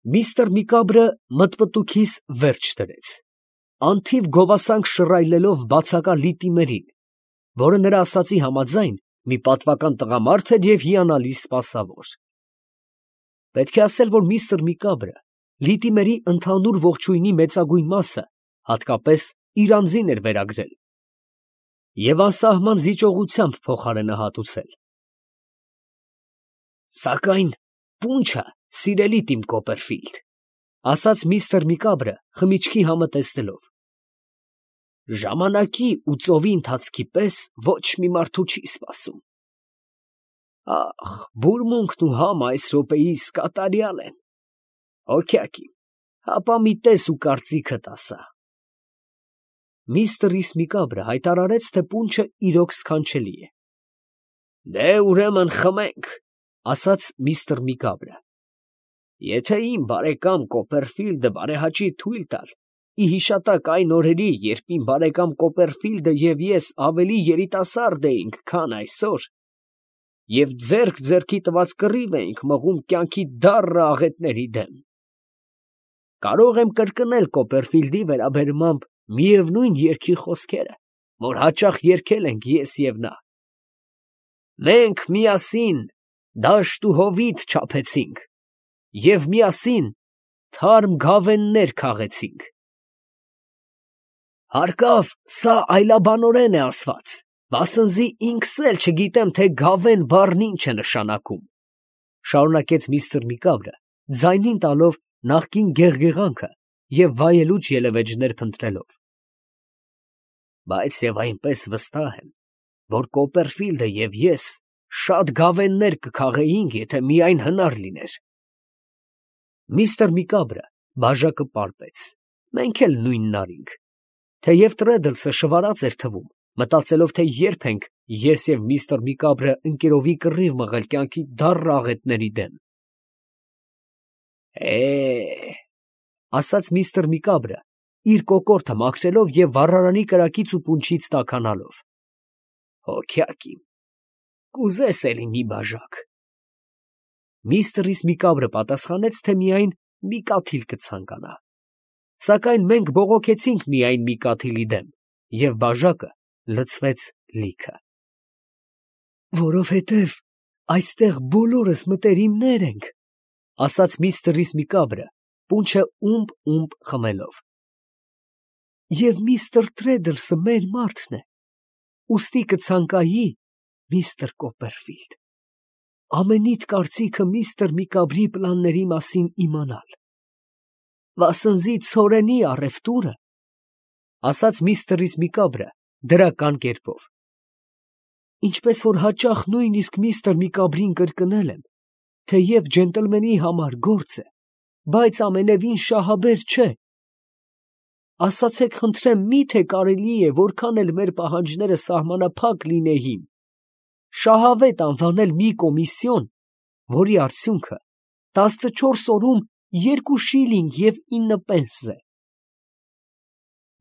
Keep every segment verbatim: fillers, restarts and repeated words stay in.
Միստր Միկաբրը մտմտուքիս վերջ դրեց, անթիվ գովասանք շռայլելով բացակա լիտիմերին, որը նրա ասածի համաձայն մի պատվական տղամարդ էր և հիանալի սպասավոր։ Պետք է ասել, որ միստր Միկաբրը լիտիմերի ընդհանուր ողջույնի մեծագույն մասը հատկապես իր անձին էր վերագրել և անսահման զիջողությամբ փոխարենահատուցել։ «Սակայն պունչը, սիրելի Տիմ Կոպերֆիլդ, ֊ ասաց միստր Միկաբրը խմիչքի համը տեսնելով, ֊ ժամանակի ու ծովի ընթացքի պես ոչ մի մարդու չի սպասում։ Ախ, բուրմունքն ու համը այս րոպեիս կատարյալ են, հոգյակ իմ, հապա մի տես ու կարծիքդ ասա»։ Միստր Միկաբրը հայտարարեց, թե պունչը իրոք սքանչելի է։ «Դե, ուրեմն խմենք, ֊ ասաց միստր Միկաբրը, ֊ եթե իմ բարեկամ Կոպերֆիլդը բարեհաճի թույլ տալ, ի հիշատակ այն օրերի, երբ իմ բարեկամ Կոպերֆիլդը և ես ավելի երիտասարդ էինք, քան այսօր, և ձեռք ձեռքի տված կռիվ էինք մղում կյանքի դառն աղետների դեմ, կարող եմ կրկնել Կոպերֆիլդի վերաբերմամբ միևնույն երգի խոսքերը, որ հաճախ երգել ենք ես և նա. «Մենք միասին դաշտ ու հովիտ չափեցինք և միասին թարմ գավեններ քաղեցինք»։ Հարկավ, սա այլաբանորեն է ասված, վասնզի ինքս էլ չգիտեմ, թե գավեն բառն ինչ է նշանակում, ֊ շարունակեց միստր Միկաբրը, ձայնին տալով նախկին գեղգեղանքը և վայելուչ ելևէջներ փնտրելով, ֊ բայց և այնպես վստահ եմ, որ Կոպերֆիլդը և ես շատ գավեններ կքաղեինք, եթե միայն հնար լիներ։ Միստր Միկաբրը բաժակը պարպեց, մենք էլ նույնն արինք, թեև Տրեդլսը շվարած էր թվում, մտածելով, թե երբ ենք ես և միստր Միկաբրը ընկերովի կռիվ մղել կյանքի դառն աղետների դեմ։ «Է, ֊ ասաց միստր Միկաբրը, իր կոկորդը մաքրելով և վառարանի կրակից ու պունչից տաքանալով, ֊ հոգյակ իմ, կուզես էլի մի բաժակ»։ Միստր Միկաբրը պատասխանեց, թե միայն մի կաթիլ կցանկանա, սակայն մենք բողոքեցինք միայն մի կաթիլի դեմ, և բաժակը լցվեց լիքը։ «Որովհետև այստեղ բոլորս մտերիմներ ենք, ֊ ասաց միստր Միկաբրը, պունչը ումպ֊ումպ խմելով, ֊ և միստր Տրեդլսը մեր մարդն է, ուստի կցանկայի, միստր Կոպերֆիլդ, ամենիդ կարծիքը միստր Միկաբրի պլանների մասին իմանալ, վասնզի ցորենի առևտուրը, ֊ ասաց միստր Միկաբրը դրական կերպով, ֊ ինչպես որ հաճախ նույնիսկ միստր Միկաբրին կրկնել եմ, թեև ջենտլմենի համար գործ է, բայց ամենևին շահաբեր չէ, ասացեք խնդրեմ, մի՞թե կարելի է, որքան էլ մեր պահանջները սահմանափակ լինեին, շահավետ անվանել մի կոմիսիոն, որի արդյունքը տասնչորս օրում երկու շիլինգ և ինը պենս է։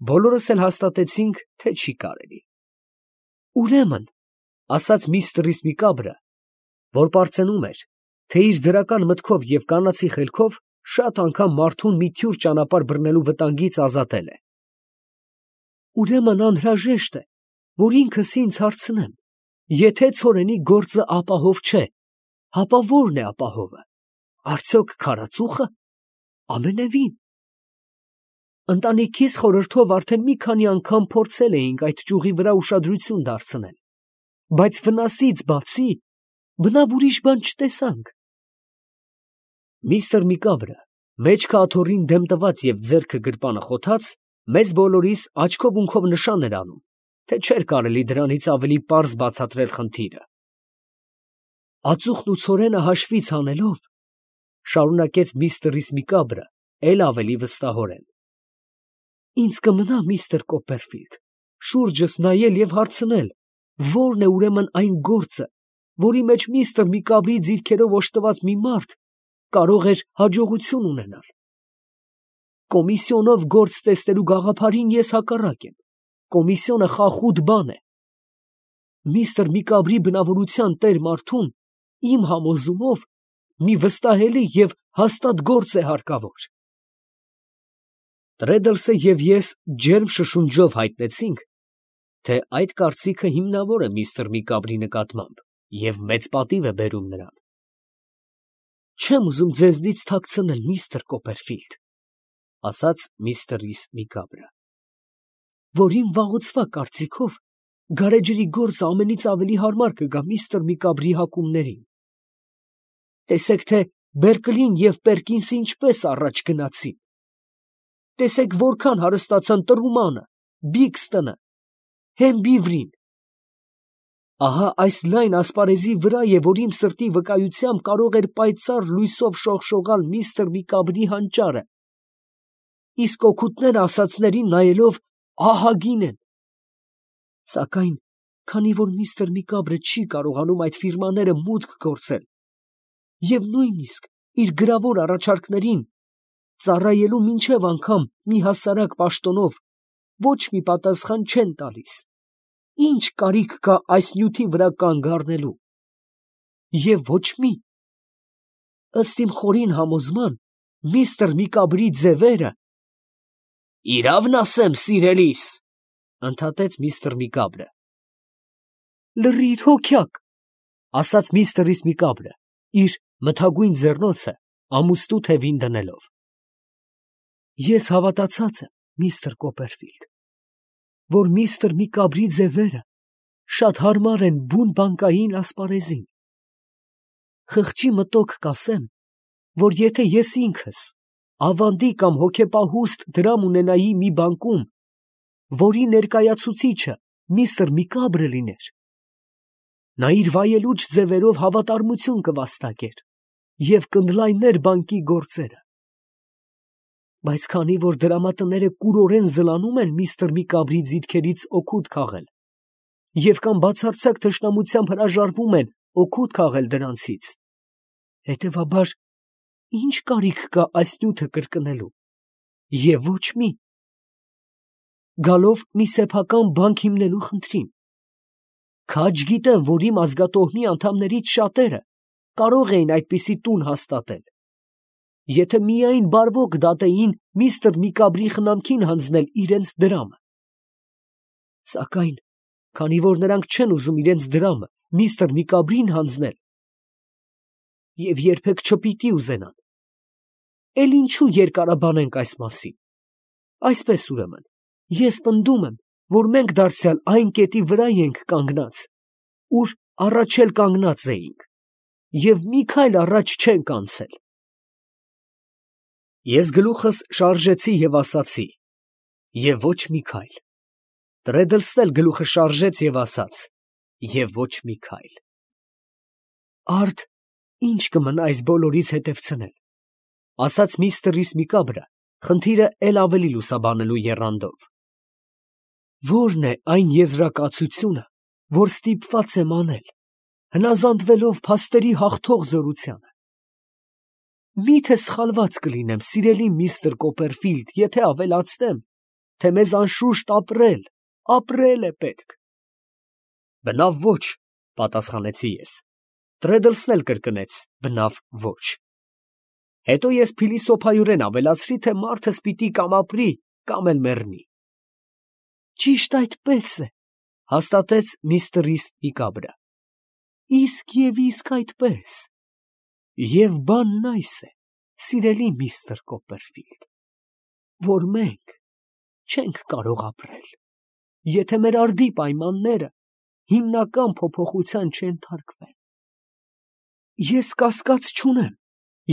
Բոլորս էլ հաստատեցինք, թե չի կարելի։ «Ուրեմն, ֊ ասաց միստր Միկաբրը, որ պարծենում էր, թե իր դրական մտքով և կանացի խելքով շատ անգամ մարդուն մի թյուր ճանապարհ բռնելու վտանգից ազատել է, ֊ ուրեմն անհրաժեշտ է, որ ինքս ինձ հարցնեմ, եթե ցորենի գործը ապահով չէ, հապա ո՞րն է ապահովը, արդյոք քարածուխը, ամենևին։ Ընտանիքիս խորհրդով արդեն մի քանի անգամ փորձել էինք այդ ճյուղի վրա ուշադրություն դարձնել, բայց վնասից բացի բնավ ուրիշ բան չտեսանք։ Միստր Միկաբրը, մեջքը աթոռին դեմ տված և ձեռքը գրպանը խոթած, մեզ բոլորիս աչքով֊ունքով նշան էր անում, թե չէր կարելի դրանից ավելի պարզ բացատրել խնդիրը։ «Ածուխն ու ցորենը հաշվից հանելով, ֊ շարունակեց միստր Միկաբրը էլ ավելի վստահորեն, ֊ ինձ կմնա, միստր Կոպերֆիլդ, շուրջս նայել և հարցնել, ո՞րն է ուրեմն այն գործը, որի մեջ միստր Միկաբրի ձիրքերով օժտված մի մարդ կարող էր հաջողություն ունենալ։ Կոմիսիոնով գործ տեսնելու գաղափարին ես հակառակ եմ, կոմիսիոնը խախուտ բան է։ Միստր Միկաբրի բնավորության տեր մարդուն, իմ համոզումով, մի վստահելի և հաստատ գործ է հարկավոր։ Տրեդլսը և ես ջերմ շշունջով հայտնեցինք, թե այդ կարծիքը հիմնավոր է միստր Միկաբրի նկատմամբ և մեծ պատիվ է բերում նրան։ «Չեմ ուզում ձեզնից թաքցնել, միստր Կոպերֆիլդ, ֊ ասաց միստր Ռիս Միկաբրը, ֊ որ իմ վաղուցվա կարծիքով գարեջրի գործը ամենից ավելի հարմար կգա միստր Միկաբրի հակումներին։ Տեսեք, թե Բերկլին և Պերկինսը ինչպես առաջ գնացին. տեսեք որքան հարստացան Տրումանը, Բիքստոնը, Հեմբիվրին։ Ահա այս լայն ասպարեզի վրա է, որ իմ սրտի վկայությամբ կարող էր պայծառ լույսով շողշողալ միստր Միկաբրի հանճարը, իսկ օգուտները ասածներին նայելով ահագին են։ Սակայն քանի որ միստր Միկաբրը չի կարողանում այդ ֆիրմաները մուտք գործել և նույնիսկ իր գրավոր առաջարկներին ծառայելու մինչև անգամ մի հասարակ պաշտոնով ոչ մի պատասխան չեն տալիս, ի՞նչ կարիք կա այս նյութի վրա կանգ առնելու։ Եվ ոչ մի։ Ըստ իմ խորին համոզման, միստր Միկաբրի ձևերը… ֊ Իրավն ասեմ, սիրելիս, ֊ ընդհատեց միստր Միկաբրը։ ֊ Լռիր, հոգյակ, ֊ ասաց միստր Ռիս Միկաբրը, իր մթագույն ձեռնոցը ամուստու թևին դնելով։ ֊ Ես հավատացած եմ, միստր Կոպերֆիլդ, որ միստր Միկաբրի ձևերը շատ հարմար են բուն բանկային ասպարեզին։ Խղճի մտոք կասեմ, որ եթե ես ինքս ավանդի կամ հոգեպահուստ դրամ ունենայի մի բանկում, որի ներկայացուցիչը միստր Միկաբրը լիներ, նա իր վայելուչ ձևերով հավատարմություն կվաստակեր և կընդլայներ բանկի գործերը։ Բայց քանի որ դրամատները կուրորեն զլանում են միստր Միկաբրի ձեռքերից օգուտ քաղել և կամ բացարձակ թշնամությամբ հրաժարվում են օգուտ քաղել դրանցից, հետևաբար ի՞նչ կարիք կա այս նյութը կրկնելու, և ոչ մի։ Գալով մի սեփական բանկ հիմնելու խնդրին, քաջ գիտեմ, որ իմ ազգատոհմի անդամներից շատերը կարող էին այդպիսի տուն հաստատել, եթե միայն բարվոք դատեին միստր Միկաբրի խնամքին հանձնել իրենց դրամը։ Սակայն քանի որ նրանք չեն ուզում իրենց դրամը միստր Միկաբրին հանձնել և երբեք չպիտի ուզենան, էլ ինչու երկարաբանենք այս մասին։ Այսպես ուրեմն, ես պնդում եմ, որ մենք դարձյալ այն կետի վրա ենք կանգնած, ուր առաջ էլ կանգնած էինք, և մի քայլ առաջ չենք անցել։ Ես գլուխս շարժեցի և ասացի. և ոչ մի քայլ։ Տրեդլսն էլ գլուխը շարժեց և ասաց. և ոչ մի քայլ։ Արդ ի՞նչ կմնա այս բոլորից հետևցնել, ֊ ասաց միստր Ռիս Միկաբրը, խնդիրը էլ ավելի լուսաբանելու եռանդով։ Ո՞րն է այն եզրակացությունը, որ ստիպված եմ անել, հնազանդվելով փաստերի հաղթող զորությանը։ Մի՞թե սխալված կլինեմ, սիրելի միստր Կոպերֆիլդ, եթե ավելացնեմ, թե մեզ անշուշտ ապրել, ապրել է պետք։ Բնավ ոչ, ֊ պատասխանեցի ես։ Տրեդլսն էլ կրկնեց. բնավ ոչ։ Հետո ես փիլիսոփայորեն ավելացրի, թե մարդս պիտի կամ ապրի, կամ էլ մեռնի։ Ճիշտ այդպես է, ֊ հաստատեց միստր Ռիս Միկաբրը, իսկ և իսկ այդպես։ Եվ բանն այս է, սիրելի միստր Կոպերֆիլդ, որ մենք չենք կարող ապրել, եթե մեր արդի պայմանները հիմնական փոփոխության չենթարկվեն։ Ես կասկած չունեմ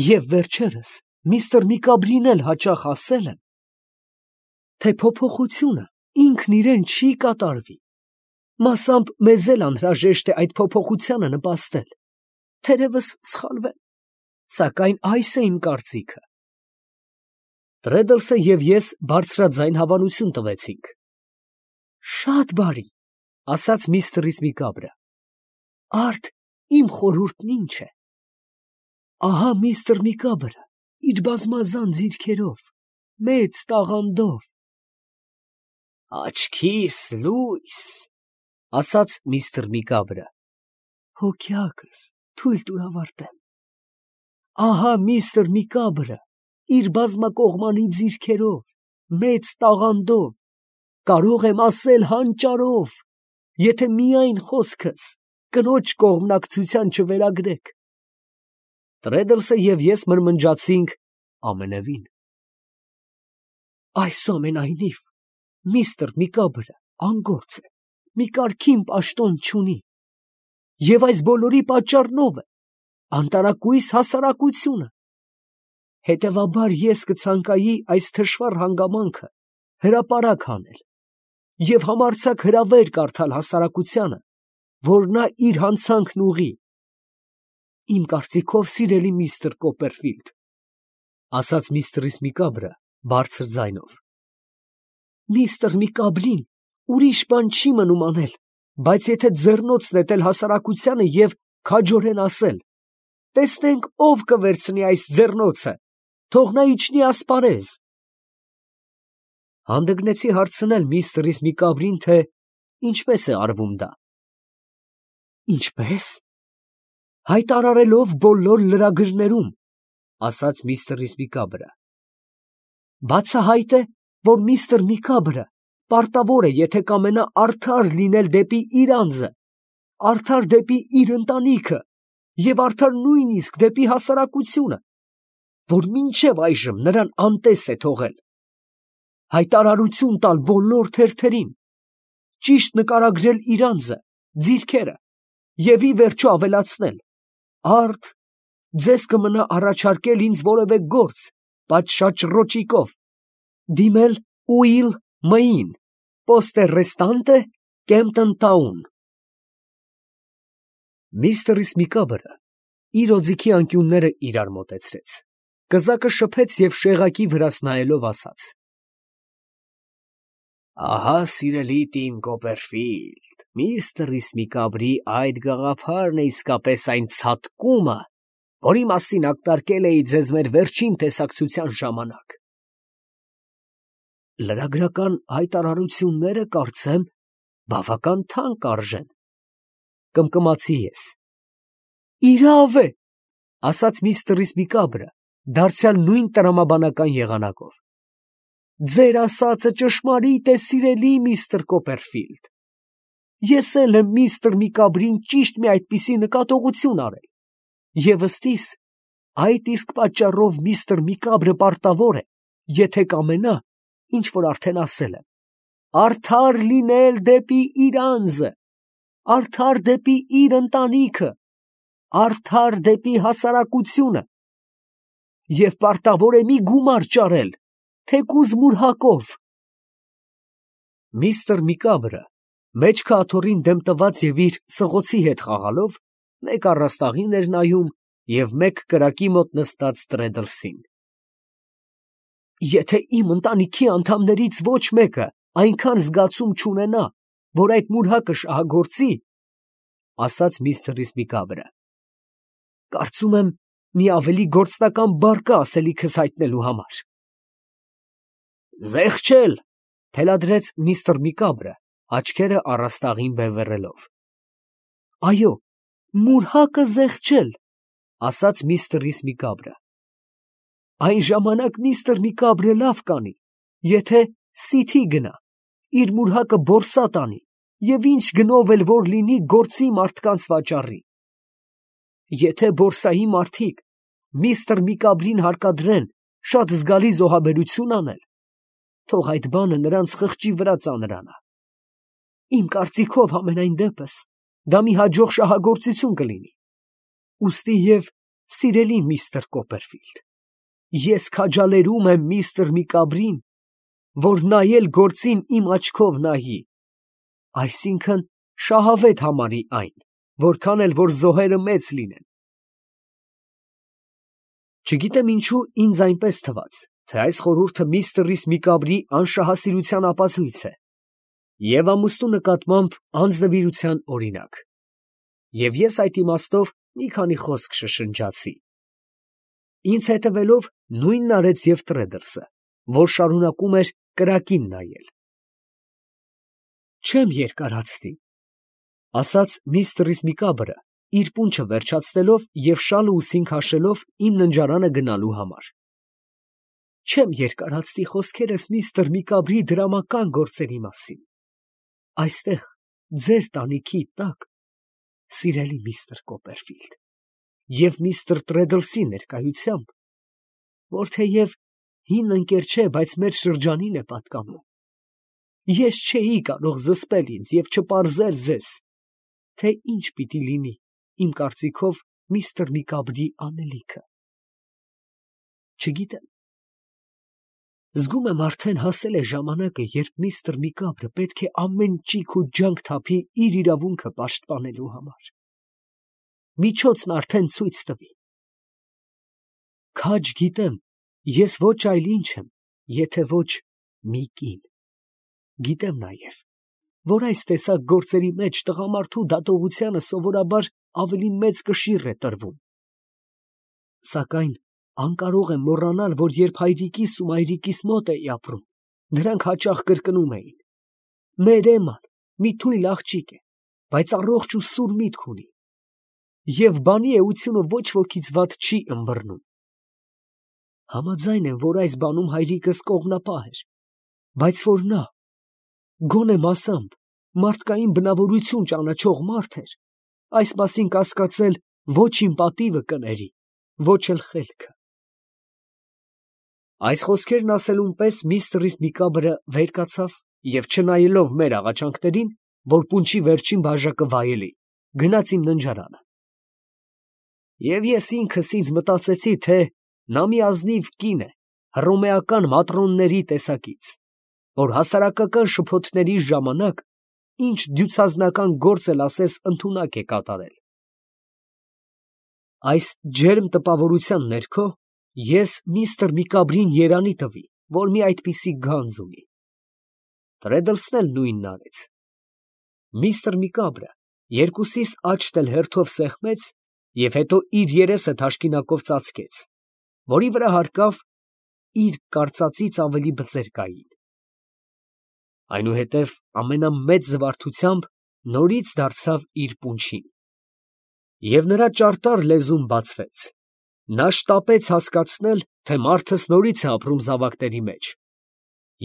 և վերջերս միստր Միկաբրին էլ հաճախ ասել եմ, թե փոփոխությունը ինքն իրեն չի կատարվի, մասամբ մեզ էլ անհրաժեշտ է այդ փոփոխությանը նպաստել, թերևս սխալվեմ, սակայն այս է իմ կարծիքը։ Տրեդլսը և ես բարձրաձայն հավանություն տվեցինք։ Շատ բարի, ֊ ասաց միստր Ռիս Միկաբրը, արդ իմ խորհուրդն ինչ է։ Ահա միստր Միկաբրը իր բազմազան ձիրքերով, մեծ տաղանդով… Աչքիս լույս, ֊ ասաց միստր Միկաբրը, հոգյակս, թույլ տուր ավարտեմ։ ահա միստր Միկաբրը իր բազմակողմանի ձիրքերով, մեծ տաղանդով, կարող եմ ասել հանճարով, եթե միայն խոսքս կնոջ կողմնակցության չվերագրեք։ Տրեդլսը և ես մրմնջացինք ամենևին։ Այսուամենայնիվ, միստր Միկաբրը անգործ է, մի կարգին պաշտոն չունի, և այս բոլորի պատճառնով է անտարակույս հասարակությունը։ Հետևաբար ես կցանկայի այս թշվառ հանգամանքը հրապարակ հանել և համարձակ հրավեր կարդալ հասարակությանը, որ նա իր հանցանքն ուղղի։ Իմ կարծիքով, սիրելի միստր Կոպերֆիլդ, ֊ ասաց միստր Միկաբրը բարձր ձայնով, ֊ միստր Միկաբրին ուրիշ բան չի մնում անել, բայց եթե ձեռնոց նետել հասարակությանը և քաջորեն ասել. տեսնենք ով կվերցնի այս ձեռնոցը, թող նա իջնի ասպարեզ։ Հանդգնեցի հարցնել միստր Միկաբրին, թե ինչպես է արվում դա։ Ինչպե՞ս։ Հայտարարելով բոլոր լրագրներում, ասաց միստր Միկաբրը։ Բացահայտ է, որ միստր Միկաբրը պարտավոր է, եթե կամենա արդար լինել դեպի իր անձը, արդար դեպի իր ընտանիքը և արդար նույնիսկ դեպի հասարակությունը, որ մինչև այժմ նրան անտես է թողել, հայտարարություն տալ բոլոր թերթերին, ճիշտ նկարագրել իր անձը, ձիրքերը և ի վերջո ավելացնել. արդ ձեզ կմնա առաջարկել ինձ որևէ գործ պատշաճ ռոճիկով, դիմել Ուիլ Մըին, Պոստե Ռեստանտե, Կեմպտոն Թաուն։ Միստր Միկաբրը իր օձիքի անկյունները իրար մոտեցրեց, կզակը շփեց և շեղակի վրաս նայելով ասաց. Ահա, սիրելի տին Կոպերֆիլդ, միստր Միկաբրի այդ գաղափարն է իսկապես այն ցատկումը, որի մասին ակնարկել էի ձեզ մեր վերջին տեսակցության ժամանակ։ Լրագրական հայտարարությունները, կարծեմ, բավական թանկ արժեն, կմկմացի ես։ Իրավ է, ասաց միստր Միկաբրը, դարձյալ նույն տրամաբանական եղանակով։ Ձեր ասածը ճշմարիտ է, սիրելի միստր Կոպերֆիլդ։ Ես էլ եմ միստր Միկաբրին ճիշտ մի այդպիսի նկատողություն արել, և ըստիս, այդ իսկ պատճառով միստր Միկաբրը պարտավոր է, եթե կամենա, ինչ որ արդեն ասել եմ, արդար լինել դեպի իր անձը, արդար դեպի իր ընտանիքը, արդար դեպի հասարակությունը, և պարտավոր է մի գումար ճարել, թեկուզ մուրհակով։ Միստր Միկաբրը, մեջքը աթոռին դեմ տված և իր սղոցի հետ խաղալով, մեկ առաստաղին էր նայում և մեկ կրակի մոտ նստած Տրեդլսին։ Եթե իմ ընտանիքի անդամներից ոչ մեկը այնքան զգացում չունենա, որ այդ մուրհակը շահագործի, ֊ ասաց միստր Միկաբրը, ֊ կարծում եմ, մի ավելի գործնական բառ կա ասելիքս հայտնելու համար։ Զեղչել, ֊ թելադրեց միստր Միկաբրը, աչքերը առաստաղին բևեռելով։ Այո, մուրհակը զեղչել, ֊ ասաց միստր Միկաբրը։ Այն ժամանակ միստր Միկաբրը լավ կանի, եթե սիթի գնա, իր մուրհակը որսա տանի և ինչ գնով էլ որ լինի գործի մարդկանց վաճառի։ Եթե բորսայի մարդիկ միստր Միկաբրին հարկադրեն շատ զգալի զոհաբերություն անել, թող այդ բանը նրանց խղճի վրա ծանրանա։ Իմ կարծիքով, համենայն դեպս, դա մի հաջող շահագործություն կլինի։ Ուստի և, սիրելի միստր Կոպերֆիլդ, ես քաջալերում եմ միստր Միկաբրին, որ նայել գործին իմ աչքով նայի, այսինքն շահավետ համարի այն, որքան էլ որ զոհերը մեծ լինեն։ Չգիտեմ ինչու ինձ այնպես թվաց, թե այս խորհուրդը միստր Միկաբրի անշահասիրության ապացույց է և ամուսնու նկատմամբ անձնվիրության օրինակ, և ես այդ իմաստով մի քանի խոսք շշնջացի։ Ինձ հետևելով նույնն արեց և Տրեդլսը, որ շարունակում էր կրակին նայել։ Չեմ երկարացնի, ֊ ասաց միստր Միկաբրը, իր պունչը վերջացնելով և շալը ուսին քաշելով իմ ննջարանը գնալու համար։ Չեմ երկարացնի խոսքերս միստր Միկաբրի դրամական գործերի մասին։ Այստեղ, ձեր տանիքի տակ, սիրելի միստր Կոպերֆիլդ, և միստր Տրեդլսի ներկայությամբ, որ թեև հին ընկեր չէ, բայց մեր շրջանին է պատկանում, ես չէի կարող զսպել ինձ և չպարզել ձեզ, թե ինչ պիտի լինի իմ կարծիքով միստր Միկաբրի անելիքը։ Չգիտեմ, զգում եմ արդեն հասել է ժամանակը, երբ միստր Միկաբրը պետք է ամեն ճիգ ու ջանք թափի իր իրավունքը պաշտպանելու համար։ Միջոցն արդեն ցույց տվի։ Քաջ գիտեմ, ես ոչ այլ ինչ եմ, եթե ոչ մի կին։ Գիտեմ նաև, որ այս տեսակ գործերի մեջ տղամարդու դատողությանը սովորաբար ավելի մեծ կշիռ է տրվում։ Սակայն անկարող եմ մոռանալ, որ երբ հայրիկիս ու մայրիկիս մոտ էի ապրում, նրանք հաճախ կրկնում էին. մեր Էմման մի թույլ աղջիկ է, բայց առողջ ու սուր միտք ունի, և բանի էությունը ոչ wokից վատ չի ըմբռնում։ Համաձայն եմ, որ այս բանում հայրիկս կողմնապահ էր, բայց որ նա, գոնե մասամբ, մարդկային բնավորություն ճանաչող մարդ էր, այս մասին կասկածել ոչ իմ պատիվը կների, ոչ էլ խելքը։ Այս խոսքերն ասելուն պես միստր Միկաբրը վեր կացավ և չնայելով մեր աղաչանքներին, որ պունչի վերջին բաժակը վայելի, գնաց իմ ննջարանը։ Եվ ես ինքս ինձ մտածեցի, թե նա մի ազնիվ կին է, հռոմեական մատրոնների տեսակից, որ հասարակական շփոթների ժամանակ ինչ դյուցազնական գործ էլ ասես ընդունակ է կատարել։ Այս ջերմ տպավորության ներքո ես միստր Միկաբրին երանի տվի, որ մի այդպիսի գանձ ունի։ Տրեդլսն էլ նույնն արեց։ Միստր Միկաբրը երկուսիս աչքն էլ հերթով սեղմեց և հետո իր երեսը թաշկինակով ծածկեց, որի վրա հարկավ իր կարծածից ավելի բծեր կային։ Այնուհետև ամենամեծ զվարթությամբ նորից դարձավ իր պունչին, և նրա ճարտար լեզուն բացվեց։ Նա շտապեց հասկացնել, թե մարդս նորից է ապրում զավակների մեջ,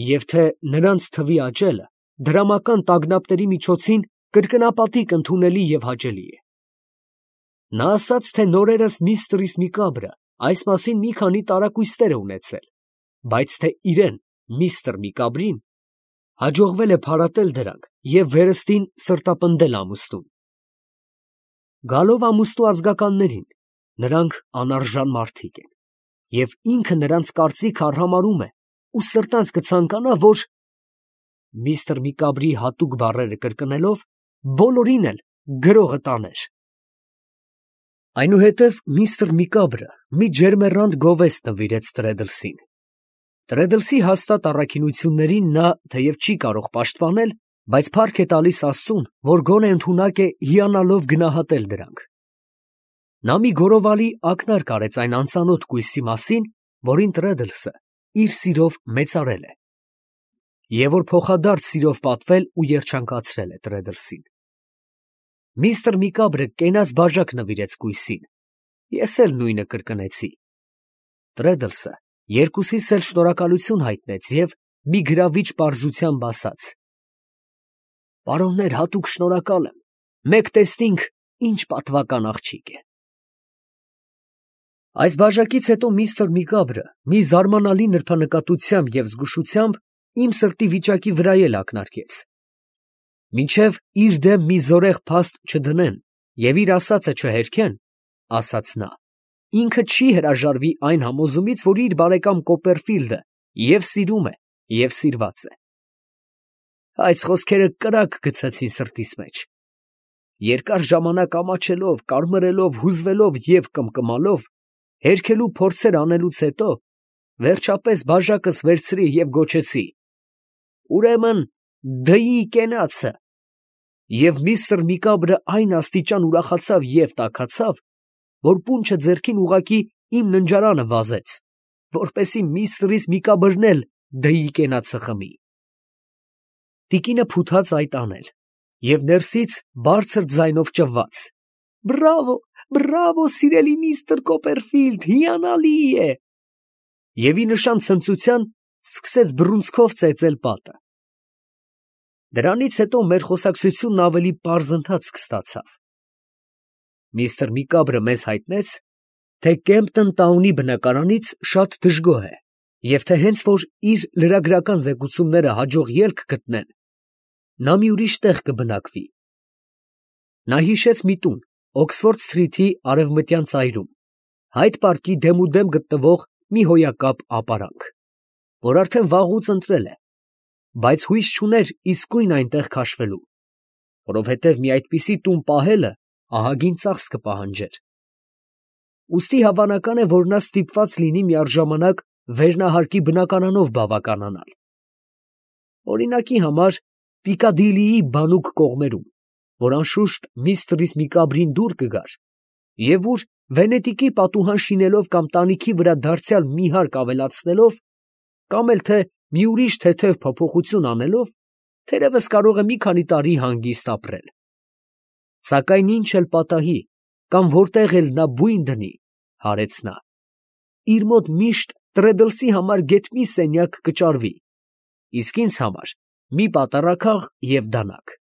և թե նրանց թվի աճելը դրամական տագնապների միջոցին կրկնապատիկ ընդունելի և հաճելի է։ Նա ասաց, թե նորերս միստր Միկաբրը այս մասին մի քանի տարակույսներ է ունեցել, բայց թե իրեն, միստր Միկաբրին, հաջողվել է փարատել դրանք և վերստին սրտապնդել ամուսնուն։ Գալով ամուսնու ազգականներին, նրանք անարժան մարդիկ են, և ինքը նրանց կարծիքը արհամարհում է ու սրտանց կցանկանա, որ… միստր Միկաբրի հատուկ բառերը կրկնելով, բոլորին էլ գրողը տաներ։ Այնուհետև միստր Միկաբրը մի ջերմեռանդ գովեստ նվիրեց Տրեդլսին։ Տրեդլսի հաստատ առաքինություններին նա թեև չի կարող պաշտպանել, բայց փառք է տալիս աստծուն, որ գոնե ընդունակ է հիանալով գնահատել դրանք։ Նա մի գորովալի ակնարկ արեց այն անծանոթ կույսի մասին, որին Տրեդլսը իր սիրով մեծարել է, և որ փոխադարձ սիրով պատվել ու երջանկացրել է Տրեդլսին։ Միստր Միկաբրը կենաց բաժակ նվիրեց կույսին, ես էլ նույնը կրկնեցի։ Տրեդլսը երկուսիս էլ շնորհակալություն հայտնեց և մի գրավիչ պարզությամբ ասաց. «Պարոններ, հատուկ շնորհակալ եմ, մեկ տեսնինք ինչ պատվական աղջիկ է»։ Այս բաժակից հետո միստր Միկաբրը մի զարմանալի նրբանկատությամբ և զգուշությամբ իմ սրտի վիճակի վրա էլ ակնարկեց։ Մինչև իր դեմ մի զորեղ փաստ չդնեն և իր ասածը չհերքեն, ասաց նա, ինքը չի հրաժարվի այն համոզումից, որ իր բարեկամ Կոպերֆիլդը և սիրում է, և սիրված է։ Այս խոսքերը կրակ գցեցին սրտիս մեջ։ Երկար ժամանակ ամաչելով, կարմրելով, հուզվելով և կմկմալով, հերքելու փորձեր անելուց հետո, վերջապես բաժակս վերցրի և գոչեցի. «Ուրեմն դեպի կենացը»։ Եվ միստր Միկաբրը այն աստիճան ուրախացավ և տաքացավ, որ պունչը ձեռքին ուղղակի իմ ննջարանը վազեց, որպեսզի միստր Միկաբրն էլ դեպի կենացը խմի։ Տիկինը փութաց այդ անել, և ներսից բարձր ձայնով ճվաց. Բրավո, բրավո, սիրելի միստր Կոպերֆիլդ, հիանալի է։ Եվ ի նշան ցնծության սկսեց բռունցքով ծեծել պատը։ Դրանից հետո մեր խոսակցությունն ավելի պարզընթացք ստացավ։ Միստր Միկաբրը մեզ հայտնեց, թե Կեմպտոն Տաունի բնակարանից շատ դժգոհ է, և թե հենց որ իր լրագրական զեկուցումները հաջող ելք գտնեն, նա մի ուրիշ տեղ կբնակվի։ Նա հիշեց մի տուն Օքսֆորդ Սթրիթի արևմտյան ծայրում, Հայդ պարկի դեմուդեմ գտնվող մի հոյակապ ապարանք, որ արդեն վաղուց ընտրել է, բայց հույս չուներ իսկույն այնտեղ քաշվելու, որովհետև մի այդպիսի տուն պահելը ահագին ծախս կպահանջեր։ Ուստի հավանական է, որ նա ստիպված լինի միառժամանակ վերնահարկի բնակարանով բավականանալ։ Օրինակի համար Պիկադիլիի բանուկ կողմերում, որ անշուշտ միստր Միկաբրին դուր կգար, և ուր Վենետիկի պատուհան շինելով կամ տանիքի վրա դարձյալ մի հարկ ավելացնելով, կամ էլ թե մի ուրիշ թեթև փոփոխություն անելով, թերևս կարող է մի քանի տարի հանգիստ ապրել։ Սակայն ինչ էլ պատահի, կամ որտեղ էլ նա բույն դնի, հարեց նա, իր մոտ միշտ Տրեդլսի համար գեթ մի սենյակ կճարվի, իսկ ինձ համար մի պատառաքաղ և դանակ։